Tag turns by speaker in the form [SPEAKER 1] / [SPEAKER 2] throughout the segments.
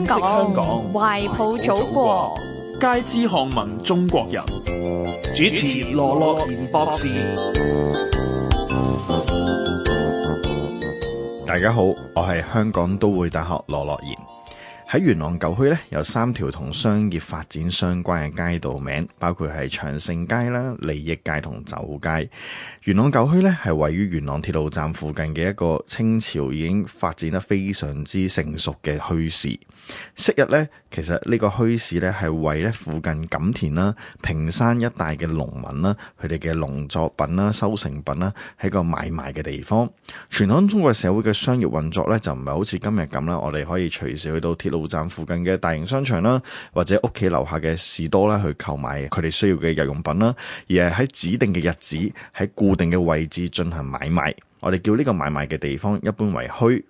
[SPEAKER 1] 香港，
[SPEAKER 2] 懷抱祖國，
[SPEAKER 1] 皆知巷聞中國人。主持羅樂賢博士。
[SPEAKER 3] 大家好，我係香港都會大學羅樂賢。喺元朗舊區咧，有3條同商業發展相關嘅街道名，包括係長盛街啦、利益街同酒街。元朗舊區咧係位於元朗鐵路站附近嘅一個清朝已經發展得非常之成熟嘅墟市。昔日咧，其實呢個墟市咧係為咧附近錦田啦、屏山一帶嘅農民啦，佢哋嘅農作品啦、收成品啦，係個買賣嘅地方。傳統中國社會嘅商業運作咧，就唔係好似今日咁啦，我哋可以隨時去到鐵路站附近嘅大型商場啦，或者屋企樓下嘅士多啦，去購買佢哋需要嘅日用品啦，而係喺指定嘅日子，喺固定嘅位置進行買賣。我哋叫呢個買賣嘅地方一般為墟。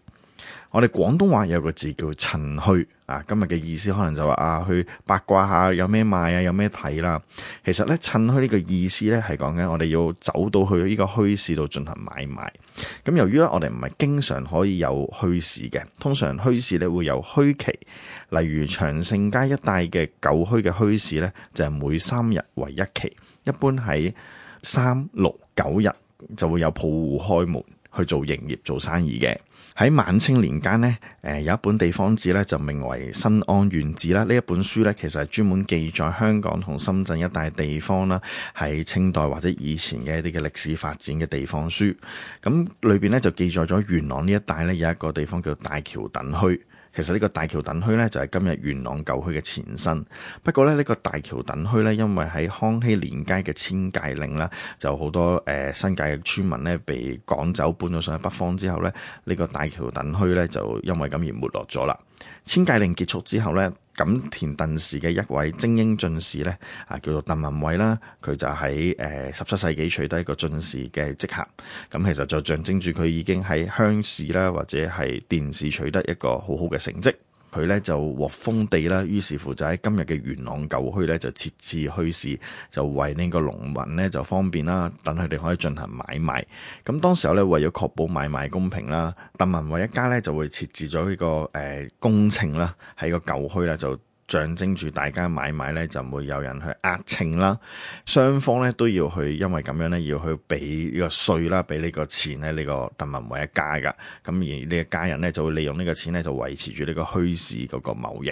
[SPEAKER 3] 我哋廣東話有個字叫趁墟啊，今日嘅意思可能就話去八卦下有咩賣啊，有咩睇啦。其實咧，趁墟呢個意思咧係講緊我哋要走到去呢個墟市度進行買賣。咁由於咧我哋唔係經常可以有墟市嘅，通常墟市咧會有墟期，例如長盛街一帶嘅舊墟嘅墟市咧就係每3日為一期，一般喺3、6、9日就會有鋪戶開門去做營業做生意嘅。喺晚清年間呢，有一本地方志咧就名為《新安縣志》啦。呢一本書咧其實係專門記載香港同深圳一帶地方啦，喺清代或者以前嘅一啲嘅歷史發展嘅地方書。咁裏邊咧就記載咗元朗呢一帶咧有一個地方叫大橋墩墟。其實呢個大橋墩墟咧就係今日元朗舊墟嘅前身。不過咧呢個大橋墩墟咧，因為喺康熙年間嘅遷界令啦，就好多新界嘅村民咧被趕走搬咗上去北方之後咧，呢個大橋墩墟咧就因為咁而沒落咗啦。遷界令結束之後咧，錦田鄧氏嘅一位精英進士咧叫做鄧文偉啦，佢就喺17世紀取得一個進士嘅職銜，咁其實就象徵住佢已經喺鄉試啦或者係殿試取得一個好好嘅成績。佢咧就獲封地啦，於是乎就喺今日嘅元朗舊墟咧就設置墟市，就為呢個農民咧就方便啦，等佢哋可以進行買賣。咁當時候咧為咗確保買賣公平啦，鄧文偉一家咧就會設置咗呢個公秤啦，喺個舊墟咧就象徵住大家買賣咧就唔會有人去壓秤啦，雙方咧都要去，因為咁樣咧要去俾呢個稅啦，俾呢個錢咧呢個鄧文偉一家噶，咁而呢一家人咧就會利用呢個錢咧就維持住呢個墟市嗰個貿易。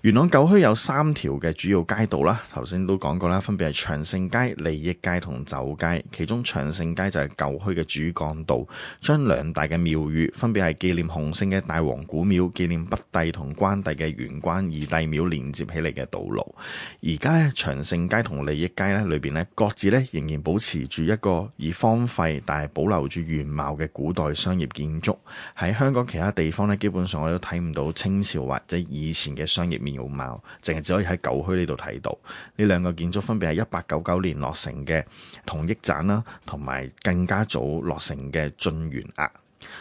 [SPEAKER 3] 元朗舊墟有3條嘅主要街道啦，頭先都講過啦，分別係長盛街、利益街同酒街。其中長盛街就係舊墟嘅主幹道，將2大嘅廟宇分別係紀念洪聖嘅大王古廟、紀念北帝同關帝嘅元關二帝廟連接起嚟嘅道路。而家咧長盛街同利益街咧裏邊咧各自咧仍然保持住一個以荒廢但係保留住原貌嘅古代商業建築。喺香港其他地方咧基本上我都睇唔到清朝或者以前嘅商業面貌，淨係只可以喺舊墟呢度睇到。呢2個建築分別係1899年落成嘅同益棧啦，同埋更加早落成嘅晉元額。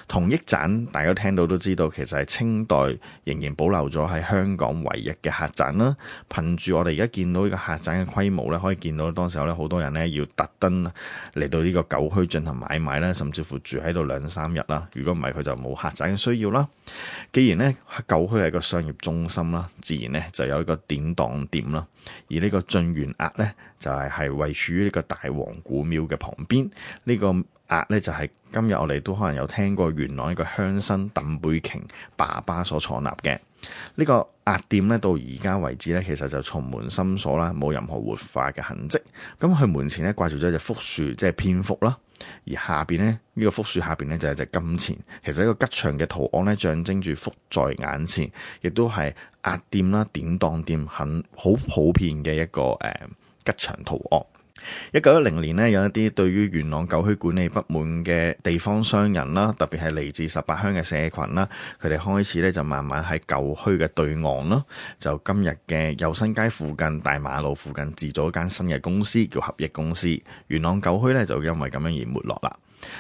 [SPEAKER 3] 同益棧大家聽到都知道，其實係清代仍然保留咗喺香港唯一嘅客棧啦。憑住我哋而家見到呢個客棧嘅規模咧，可以見到當時候咧好多人咧要特登嚟到呢個舊墟進行買賣啦，甚至乎住喺度2、3日啦。如果唔係佢就冇客棧嘅需要啦。既然咧舊墟係一個商業中心啦，自然咧就有一個典當店啦。而呢個晉元額咧就係位處於呢個大王古廟嘅旁邊。呢個額咧就係今日我哋都可能有聽過元朗一個鄉紳鄧貝瓊爸爸所創立嘅。呢個額店咧到而家為止咧，其實就從門深鎖啦，冇任何活化嘅痕跡。咁佢門前咧掛住咗一隻福樹，即係蝙蝠啦。而下邊咧呢個福樹下邊咧就係隻金錢，其實一個吉祥嘅圖案咧，象徵住福在眼前，亦都係額店啦、典當店很好普遍嘅一個吉祥圖案。1910年呢，有一啲對於元朗舊墟管理不滿嘅地方商人啦，特別係嚟自18鄉嘅社群啦，佢哋開始咧就慢慢喺舊墟嘅對岸啦，就今日嘅佑新街附近大馬路附近自咗一間新嘅公司，叫合益公司。元朗舊墟咧就因為咁樣而沒落啦。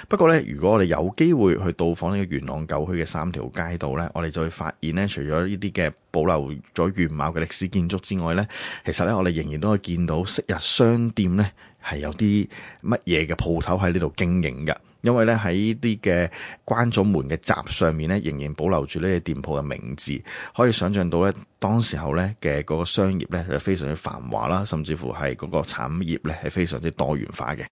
[SPEAKER 3] 不過咧，如果我哋有機會去到訪呢個元朗舊墟嘅3條街道咧，我哋就會發現咧，除咗呢啲嘅保留咗原貌嘅歷史建築之外咧，其實咧我哋仍然都可以見到昔日商店咧係有啲乜嘢嘅鋪頭喺呢度經營嘅。因為咧喺呢啲嘅關咗門嘅閘上面咧，仍然保留住呢啲店鋪嘅名字，可以想象到咧當時候咧嘅嗰個商業咧係非常之繁華啦，甚至乎係嗰個產業咧係非常之多元化嘅。